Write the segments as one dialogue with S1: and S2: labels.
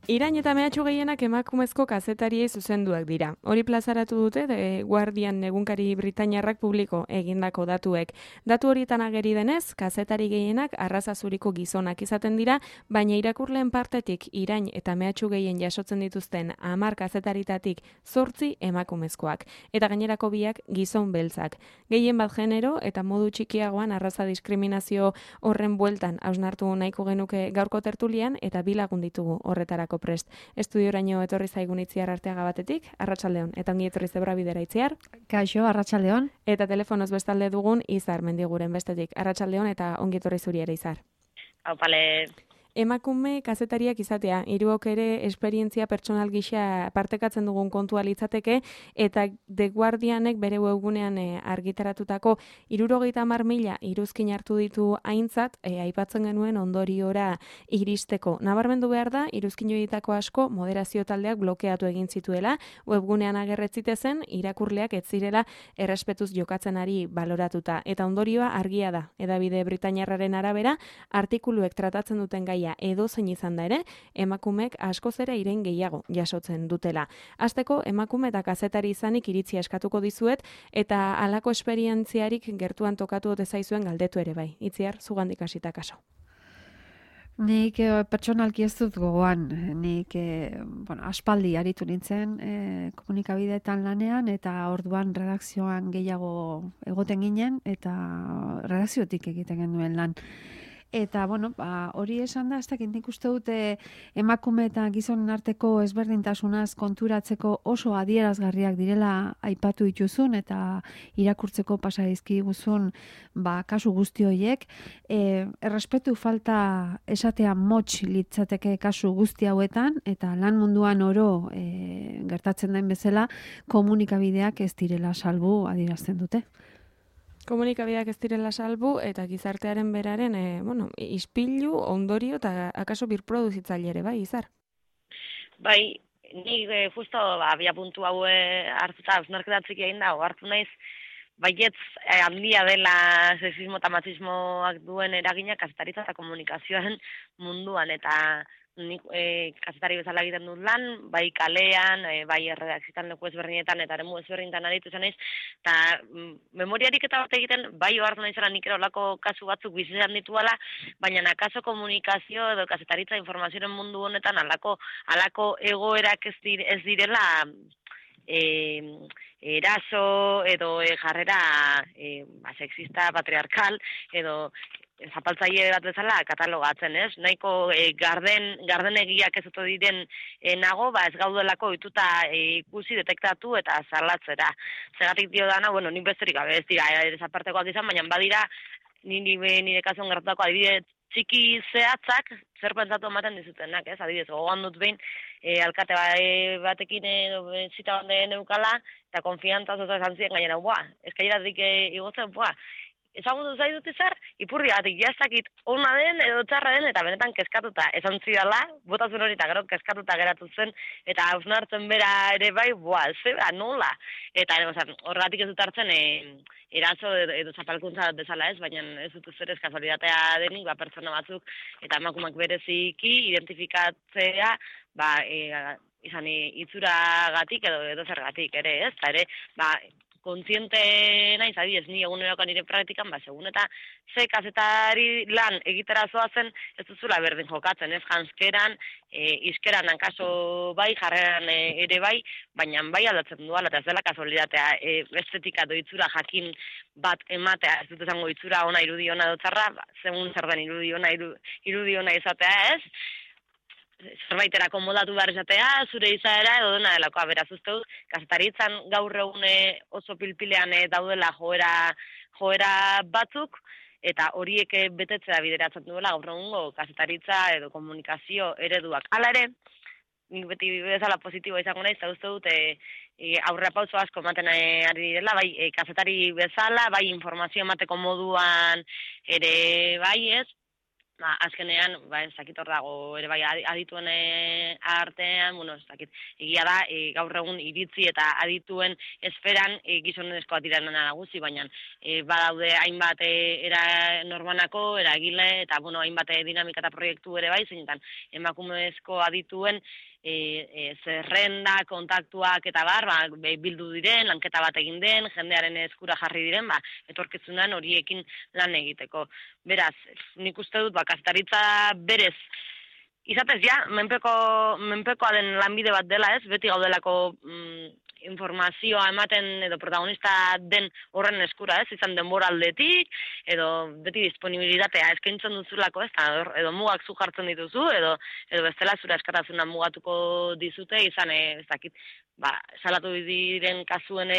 S1: Irain eta mehatxu gehienak emakumezko kazetariei zuzenduak dira. Hori plazaratu dute The Guardian egunkari britainiarrak publiko egindako datuek. Datu horietan ageri denez, kazetari gehienak arraza zuriko gizonak izaten dira, baina irakurleen partetik irain eta mehatxu gehien jasotzen dituzten 10 kazetaritatik 8 emakumezkoak. Eta gainerako biak gizon beltzak. Gehien bat genero eta modu txikiagoan arraza diskriminazio horren bueltan hausnartu nahiko genuke gaurko tertulian eta bi lagun ditugu horretarako prest. Estudioraino etorri zaigun Itziar Arteaga batetik, arratsaldeon, eta ongi etorri Zebrabidera Itziar.
S2: Kaixo, arratsaldeon.
S1: Eta telefonoz bestalde dugun Izar Mendiguren bestetik, arratsaldeon eta ongi etorri zuri ere Izar.
S3: Aupale.
S1: Emakume kazetariak izatea, hiruok ere esperientzia pertsonal gisa partekatzen dugun kontua litzateke, eta The Guardianek bere webgunean argitaratutako 70.000 iruzkin hartu ditu aintzat, aipatzen genuen ondoriora iristeko. Nabarmendu behar da, iruzkin joitako asko moderazio taldeak blokeatu egin zituela, webgunean agerretzite zen, irakurleak ez zirela errespetuz jokatzen ari baloratuta. Eta ondorioa argia da, edabide britainiarraren arabera, artikuluek tratatzen duten gaia edozein izan da ere, emakumek askoz ere irain gehiago jasotzen dutela. Hasteko emakume eta kazetari izanik iritzia eskatuko dizuet, eta halako esperientziarik gertuan tokatu ote zaizuen galdetu ere bai. Itziar, zugandik hasita kaso.
S2: Nik pertsonalki ez dut gogoan, nik aspaldi aritu nintzen komunikabideetan lanean, eta orduan redakzioan gehiago egoten ginen, eta redakziotik egiten genuen lan. Eta, hori esan da, ez dakit nik uste dute emakume eta gizonen arteko ezberdintasunaz konturatzeko oso adierazgarriak direla aipatu dituzun eta irakurtzeko pasa dizkiguzun kasu guzti horiek. Errespetu falta esatea motx litzateke kasu guzti hauetan, eta lan munduan oro gertatzen den bezala komunikabideak ez direla salbu adierazten dute.
S1: Komunikabideak ez direla salbu eta gizartearen beraren, ispilu, ondorio eta akaso birproduzitzaile ere, bai, Izar?
S3: Bai, nik justo abia puntu hau hartuta hausnarketatzik egin da, hartu naiz, baietz handia dela sexismo eta machismoak duen eragina kazetaritza eta komunikazioan munduan, eta nik kazetari bezala egiten dut lan, bai kalean, bai erredakzioetan leku ezberdinetan eta eremu ezberdinetan aritu zen naiz, eta memoriarik eta bat egiten, bai ohartu naizela nik ere olako kasu batzuk bizitzan dituala, baina akaso komunikazio edo kazetaritza informazioaren mundu honetan halako egoerak ez direla eraso edo jarrera sexista, patriarkal edo zapaltzaile bat bezala katalogatzen, ez? Nahiko gardenegiak ez oto diren nago, ez gaudelako ohituta ikusi, detektatu eta salatzera. Zergatik dio dana, nik besterik gabe ez dira desapartekoak izan, baina badira nire kasuan gertatutako adibide txiki zehatzak zer pentsatu ematen dizutenak, ez? Adibidez, gogoan dut behin alkate batekin zita bande neukala, eta konfiantzaz oso esan ziren gainera, eskairatik igotzen, ezagutu zaitut Izar, ipurri batik jaztakit ona den edo txarra den, eta benetan kezkatuta esan zidala, botazun hori eta gero kezkatuta geratu zen, eta hausnartzen bera ere bai, zeba, nola? Eta horregatik ez dut hartzen eraso edo zapalkuntza bezala ez, baina ez dut zer ez kasualitatea denik, pertsona batzuk eta emakumeak bereziki identifikatzea, izan itzuragatik edo zergatik ere ez, eta ere, kontziente naiz, adibidez, ni egunerokoan nire praktikan, segun eta ze kazetari lan egitera zoazen, ez duzula berdin jokatzen, ez janskeran, iskeran hankaso bai, jarreran ere bai, baina bai aldatzen duala, eta ez dela kasualitatea estetika doitzura jakin bat ematea, ez dut esango itzura ona irudi ona dotzarra, segun zer den irudi ona izatea ez, zerbaiterako modatu behar izatea, zure izaera edo dena delakoa, beraz uste dut, kazetaritzan gaur egun oso pilpilean daudela joera batzuk, eta horiek betetzea bideratzen duela gaur egungo kazetaritza edo komunikazio ereduak. Hala ere, nik beti bezala positiboa izango naiz, eta uste dut aurrerapauso asko ematen ari direla, bai kazetari bezala, bai informazio emateko moduan ere bai ez, azkenean, ez dakit hor dago, ere bai, adituen artean, ez dakit, egia da, gaur egun iritzi eta adituen esferan gizonezkoa dira nagusi, baina badaude hainbat era normanako, eragile, eta, hainbat dinamika eta proiektu ere bai, zeinetan emakumezko adituen zerrenda, kontaktuak eta bildu diren, lanketa bat egin den, jendearen eskura jarri diren, etorkizunan horiekin lan egiteko. Beraz, nik uste dut, kazetaritza berez, izatez menpekoa den lanbide bat dela ez, beti gaudelako informazioa ematen edo protagonista den horren eskura ez, izan denbora aldetik, edo beti disponibilitatea eskaintzen duzulako ez, edo mugak zu jartzen dituzu, edo bestela zure askatasuna mugatuko dizute, izan ez dakit, salatu diren kasuen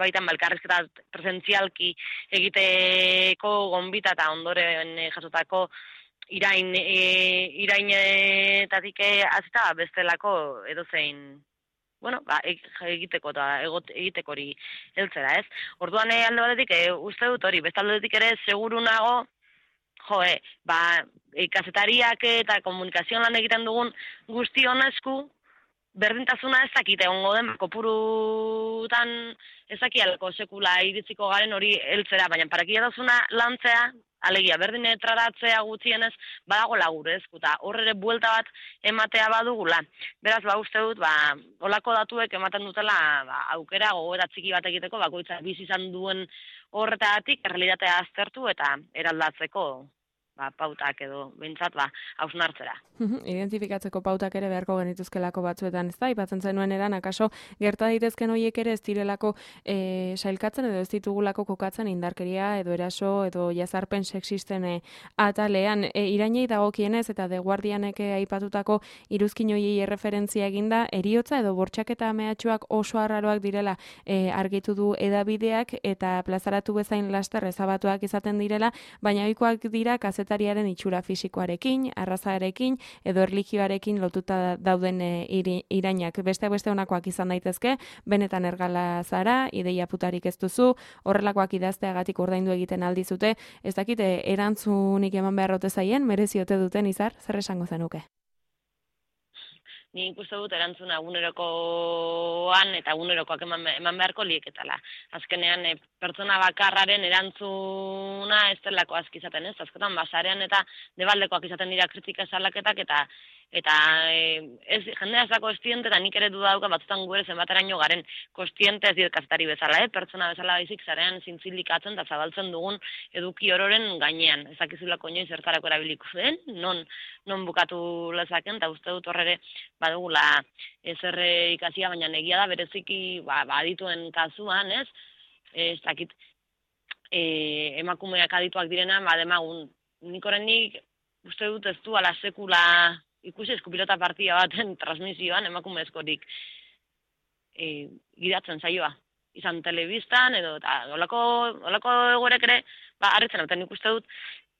S3: baitan elkarrizketa presentzialki egiteko gonbita eta ondoren jasotako irainetatik azita bestelako edozein egiteko eta egiteko hori heltzera, ez? Orduan alde batetik uste dut hori, beste aldetik ere seguru nago, kazetariak eta komunikazioan lan egiten dugun guzti honesku, berdintasuna ez dakite ongo den, kopurutan ez dakialako sekula iritziko garen hori heltzera, baina parakia dazuna lantzea, alegia, berdin tratatzea gutxienez, badago lagure ezkuta, horre buelta bat ematea badugula. Beraz, uste dut, olako datuek ematen dutela aukera gogoeta txiki bat egiteko, bakoitza bizi izan duen horretatik, errealitatea aztertu eta eraldatzeko pautak edo bintzat hausnartzera.
S1: Identifikatzeko pautak ere beharko genituzkelako batzuetan, ez da, ipatzen zenuen eran, akaso gerta daitezken horiek ere ez direlako sailkatzen edo ez ditugulako kokatzen indarkeria edo eraso edo jazarpen sexisten atalean. Irainei dagokienez eta The Guardianek aipatutako iruzkin horiei erreferentzia eginda, eriotza edo bortxaketa mehatxuak oso arraroak direla argitu du edabideak eta plazaratu bezain laster ezabatuak izaten direla, baina ohikoak dira kazetariaren itxura fisikoarekin, arrazarekin edo erlijioarekin lotuta dauden irainak. Beste honakoak izan daitezke, benetan ergala zara, ideia putarik ez duzu, horrelakoak idazteagatik ordaindu egiten aldizute, ez dakite erantzunik eman beharrote zaien, mereziote duten Izar, zer esango zenuke?
S3: Ni ikuste dut erantzuna egunerokoan eta egunerokoak eman beharko lieketala. Azkenean, pertsona bakarraren erantzuna ez delako aski izaten ez. Azketan, basarean eta debaldekoak izaten dira kritika salaketak eta jendea ez da kostiente eta nik ere dudauka batzutan gu ere zenbateraino garen kostiente ez dit kazetari bezala, pertsona bezala baizik zarean zintzilikatzen eta zabaltzen dugun eduki ororen gainean. Ezakizulako inoiz zertarako erabiliko den, non bukatu lezaken, eta uste dut horre badugula ezer ikasia, baina egia da bereziki adituen kasuan, ez dakit emakumeak adituak direna, demagun nik horrenik uste dut ez du ala sekula ikusi eskupilota partia baten transmisioan emakumezkorik gidatzen zaioa. Izan telebistan edo olako egorek ere harritzen, eta nik uste dut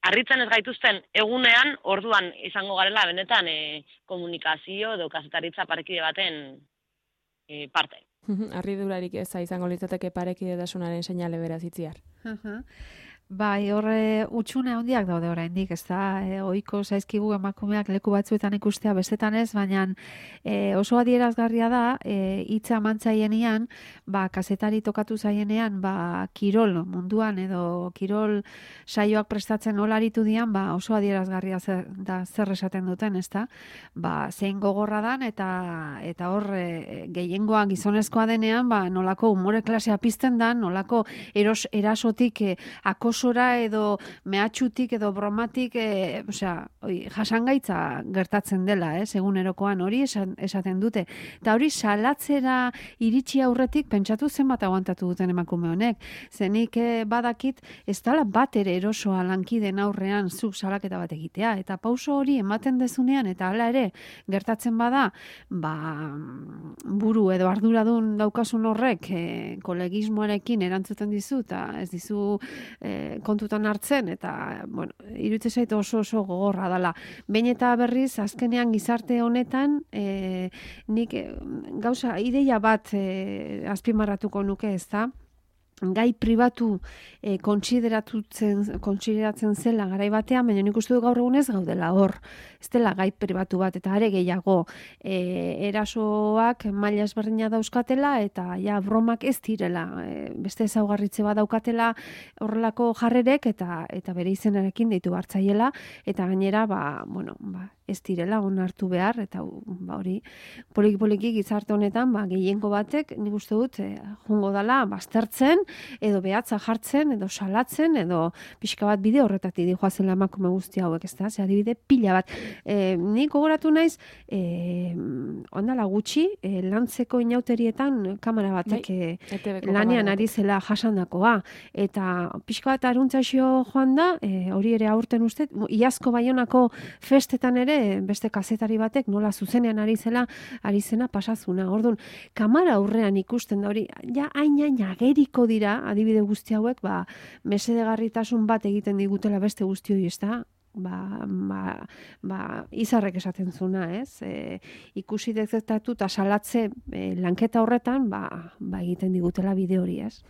S3: harritzen ez gaituzten egunean orduan izango garela benetan komunikazio edo kazetaritza parekide baten parte.
S1: Harridurarik eza izango litzateke parekidetasunaren seinale beraz Itziar.
S2: Bai, horre utxune handiak daude oraindik, ez da, ohiko zaizkigu emakumeak leku batzuetan ikustea bestetan ez, baina oso adierazgarria da, hitza mantzaienean, kazetari tokatu zaienean, kirol munduan edo kirol saioak prestatzen olaritu dian, oso adierazgarria da zer esaten duten, ez da, zein gogorra dan, eta hor gehiengoa gizonezkoa denean, nolako umore klasea pizten dan, nolako erasotik akosora edo mehatxutik edo bromatik, jasangaitza gertatzen dela, egunerokoan hori esaten dute. Eta hori salatzera iritsi aurretik pentsatu zenbat aguantatu duten emakume honek. Zenik badakit ez dala bat ere erosoa lankiden aurrean zuk salaketa bat egitea. Eta pauso hori ematen dezunean eta hala ere gertatzen bada, buru edo arduradun daukasun horrek kolegismoarekin erantzuten dizu eta ez dizu kontutan hartzen eta iruditzen zait oso gogorra dela. Behin eta berriz azkenean gizarte honetan nik gauza ideia bat azpimarratuko nuke, ez da? gai pribatu kontsideratzen zela garai batean, baina nik uste du gaur egunez gaudela hor. Ez dela gai pribatu bat, eta are gehiago erasoak maila ezberdina dauzkatela, eta ja bromak ez direla. Beste ezaugarritze bat daukatela horrelako jarrerek, eta bere izenarekin deitu hartzaiela, eta gainera, ez direla onartu behar, eta hori poliki gizarte honetan, gehiengo batek, nik uste dut, jungo dela baztertzen, edo behatza jartzen, edo salatzen, edo pixka bat bide horretatik dijoazela emakume guzti hauek, ez da? Ze adibide pila bat. Nik gogoratu naiz, ondala gutxi, lantzeko inauterietan kamera batek lanean ari zela jasandakoa, eta pixka bat aruntzaixo joan da, hori ere aurten uste, iazko Baionako festetan ere, beste kazetari batek nola zuzenean ari zena pasazuna. Orduan, kamera aurrean ikusten da hori, ja hain ageriko dira, adibide guzti hauek, mesedegarritasun bat egiten digutela beste guzti hori, ez da? Izarrek esaten zuna, ez? Ikusi detektatu eta salatze lanketa horretan, egiten digutela bide hori, ez?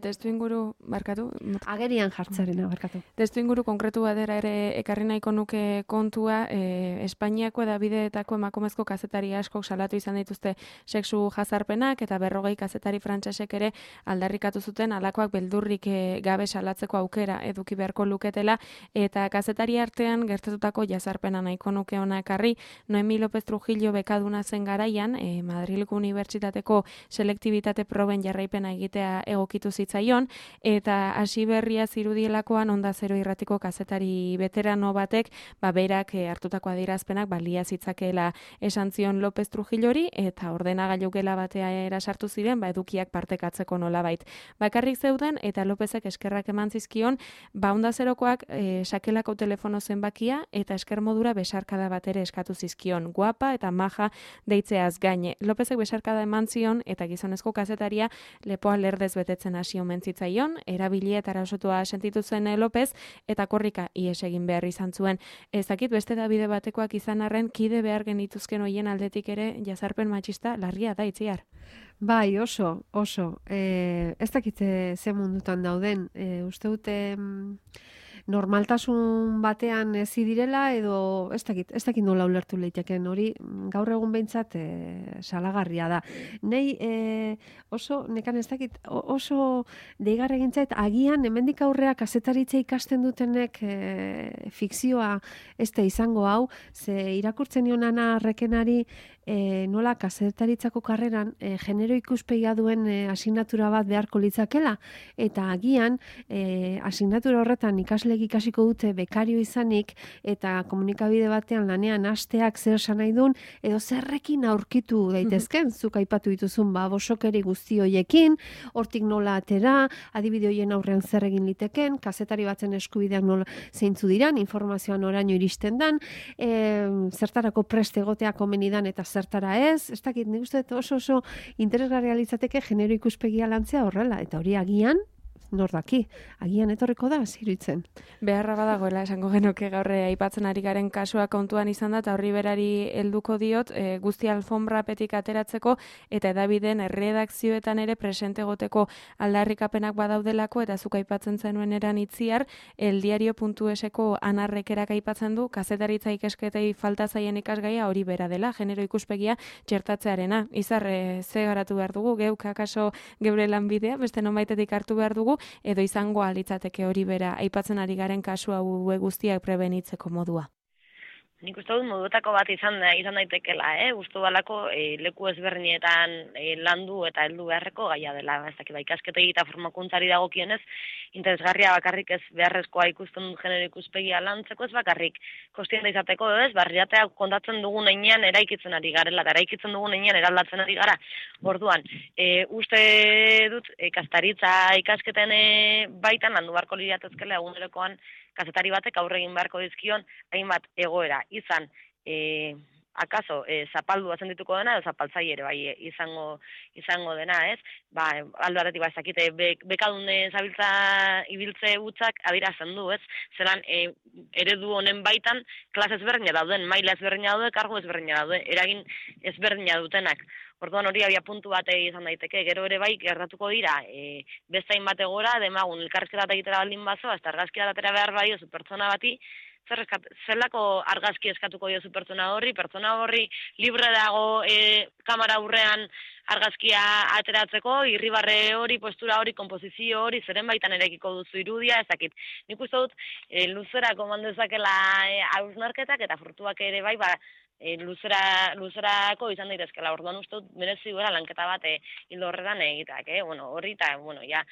S1: Testu inguru, barkatu?
S2: Agerian jartzarena, barkatu.
S1: Testu inguru konkretu badera ere ekarri nahiko nuke kontua, Espainiako edabideetako emakumezko kazetari askok salatu izan dituzte sexu jazarpenak, eta 40 kazetari frantsesek ere aldarrikatu zuten alakoak beldurrik gabe salatzeko aukera eduki beharko luketela, eta kazetari artean gertatutako jazarpena nahiko nuke hona ekarri. Noemi López Trujillo bekaduna zen garaian, Madrilgo Unibertsitateko selektibitate proben jarraipena egitea egokitu zitzaion, eta hasi berria zirudielakoan Onda Zero irratiko kazetari veterano batek, berak hartutako adierazpenak balia zitzakeela esan zion López Trujillori, eta ordenagailu gela batea sartu ziren, edukiak partekatzeko nolabait. Bakarrik zeuden, eta Lópezek eskerrak eman zizkion, Onda Zerokoak sakelako telefono zenbakia eta esker modura besarkada bat ere eskatu zizkion, guapa eta maja deitzeaz gaine. Lópezek besarkada eman zion eta gizonezko kazetaria lepoa lerdez betetzen hasi omen zitzaion, erabili eta erasotua sentitu zen López, eta korrika ihes egin behar izan zuen. Ez dakit beste dabide batekoak izan arren, kide behar genituzken hoien aldetik ere jazarpen matxista larria da, Itziar.
S2: Bai, oso. Ez dakit ze mundutan dauden. Uste dute normaltasun batean ezi direla, edo ez dakit nola ulertu leiteken hori, gaur egun behintzat salagarria da. Nei nekan ez dakit, oso deigarra egintzait, agian hemendik aurrea kazetaritza ikasten dutenek fikzioa ez da izango hau, ze irakurtzen nion Ana Rekenari nola kazetaritzako karreran genero ikuspegia duen asignatura bat beharko litzakela, eta agian asignatura horretan ikasiko dute bekario izanik, eta komunikabide batean lanean hasteak zer esan nahi duen, edo zerrekin aurkitu daitezken, zuk aipatu dituzun bosokeri guzti hoiekin, hortik nola atera, adibide hoien aurrean zer egin liteken, kazetari batzen eskubideak nola zeintzu diran, informazioan oraino iristen dan, zertarako preste egotea komenidan eta zertara ez dakit, nik uste oso interesgarria litzateke genero ikuspegia lantzea horrela, eta hori agian, nor daki, agian etorriko da, ziruitzen.
S1: Beharra badagoela esango genuke gaur aipatzen ari garen kasua kontuan izan da, eta horri berari helduko diot, guzti alfonbrapetik ateratzeko, eta edabideen erredakzioetan ere presente egoteko aldarrikapenak badaudelako, eta zuk aipatzen zenuen eran Itziar, eldiario.eseko anarrekerak aipatzen du, kazetaritza ikesketei falta zaien ikasgaia hori bera dela, genero ikuspegia txertatzearena. Izar, ze garatu behar dugu, geuk akaso geure lanbidea, beste nonbaitetik hartu behar dugu, edo izango alitzateke hori bera aipatzen ari garen kasu hau guztiak prebenitzeko modua.
S3: Nik uste dut moduetako bat izan daitekela, gustu balako leku ezberdinetan landu eta heldu beharreko gaia dela, ez dakit ikasketei eta formakuntzari dagokienez, interesgarria bakarrik ez beharrezkoa ikusten dut genero ikuspegia lantzeko, ez bakarrik kostienta izateko, ez barriatea kontatzen dugun heinean eraikitzen ari garela, eta eraikitzen dugun heinean eraldatzen ari gara. Orduan, uste dut kastaritza ikasketen baitan landu beharko liratezkela egunerokoan kazetari batek aurre egin beharko dizkion hainbat egoera, izan akaso zapaldua sendituko dena edo zapaltzaile ere bai izango dena, ez? Ba, alde batetik ba ezakite bekadun ibiltze hutzak adierazten du, ez? Zelan eredu honen baitan klase ezberdina dauden, maila ezberdina daude, kargu ezberdina daude, eragin ezberdina dutenak. Orduan hori abia puntu bat izan daiteke, gero ere bai gertatuko dira, beste hainbat egora, demagun elkarrizketa egitera baldin bazo, hasta argazkia datera behar badiozu pertsona bati, zelako argazki eskatuko diozu pertsona horri libre dago kamera aurrean argazkia ateratzeko, irribarre hori, postura hori, konposizio hori, zeren baitan erekiko duzu irudia, ezakit. Nik uste dut, luzerako mandezakela hausnarketak eta frutuak ere bai, ba, luzerako izan daitezkela. Orduan uste dut merezi duela lanketa bat hildo horretan egitak, bueno, horri eta, bueno, ja,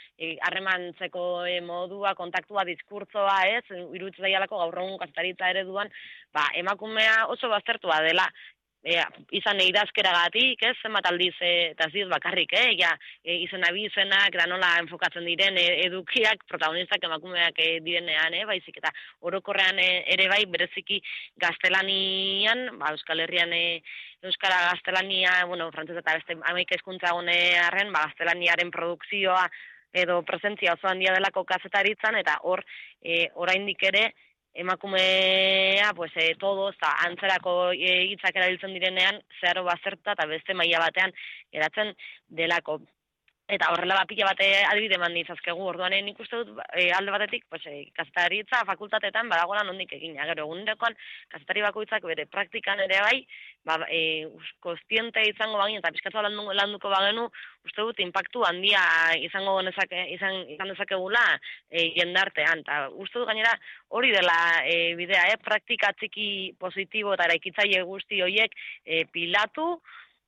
S3: harremantzeko modua, kontaktua, diskurtzoa, ez, iruditzen daialako gaur egun kazetaritza ereduan, ba, emakumea oso baztertua dela, izan idazkeragatik, ez, zenbat aldiz, eta ez diz bakarrik, ja, izenak, da nola enfokatzen diren edukiak, protagonistak emakumeak direnean, baizik, eta orokorrean ere bai, bereziki gaztelanian, ba, Euskal Herrian Euskara gaztelania, bueno, frantzesa eta beste amaik hizkuntza arren, ba, gaztelaniaren produkzioa edo presentzia oso handia delako kazetaritzan, eta hor, oraindik ere, emakumea, pues, todos, antzerako hitzak erabiltzen direnean, zeharo bazertuta eta beste maila batean geratzen delako. Eta horrela pila bate adibide eman ditzazkegu, orduan nik uste dut alde batetik, pues, kazetaritza fakultatetan badagoela nondik egina. Gero, egunerokoan kazetari bakoitzak bere praktikan ere bai, ba, kostiente izango bagin, eta pizkatza landuko bagenu, uste dut impactu handia izan dezakegula jendartean. Ta uste dut gainera hori dela bidea, praktika txiki positibo eta eraikitzaile guzti horiek pilatu,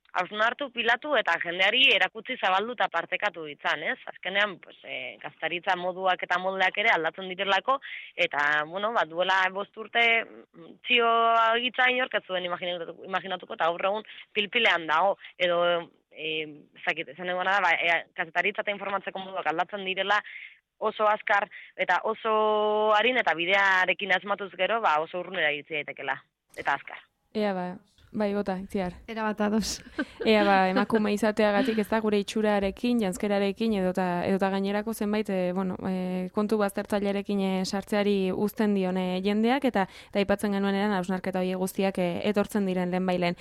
S3: hausnartu, pilatu eta jendeari erakutsi zabaldu eta partekatu ditzan, ez? Azkenean, pues, gaztaritza moduak eta moldeak ere aldatzen direlako, eta, bueno, bat duela 5 urte txio gitza inork ez zuen imaginatuko, eta gaur egun pilpilean dago, edo, esan egon da, gaztaritza eta informatzeko moduak aldatzen direla, oso azkar eta oso harin eta bidearekin asmatuz gero, ba, oso urrunera iritsi daitekela, eta azkar.
S1: Ea bai, bota, itziar.
S2: Era bat ados.
S1: Ea emakume izateagatik ez da gure itxurarekin, janzkerarekin, edota gainerako zenbait, kontu baztertzailearekin sartzeari uzten dion jendeak, eta aipatzen genuen eran hausnarketa hori guztiak etortzen diren lehenbailen.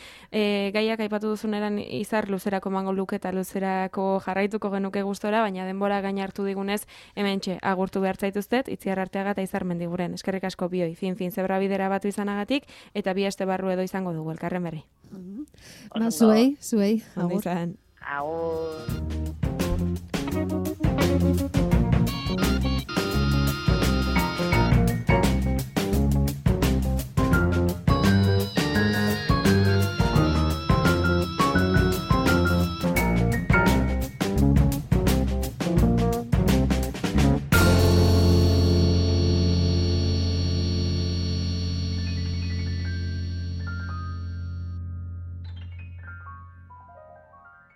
S1: Gaiak aipatu duzun eran izar luzerako mango luke eta luzerako jarraituko genuke gustora, baina denbora gain hartu digunez, hementxe agurtu behar zaituztet, Itziar Arteaga eta Izar Mendiguren. Eskerrik asko bioi, fin zebra bidera batu izanagatik, eta bi aste barru edo izango dugu elkarren berri.
S2: Ba, zuei,
S1: agur.
S3: Agur.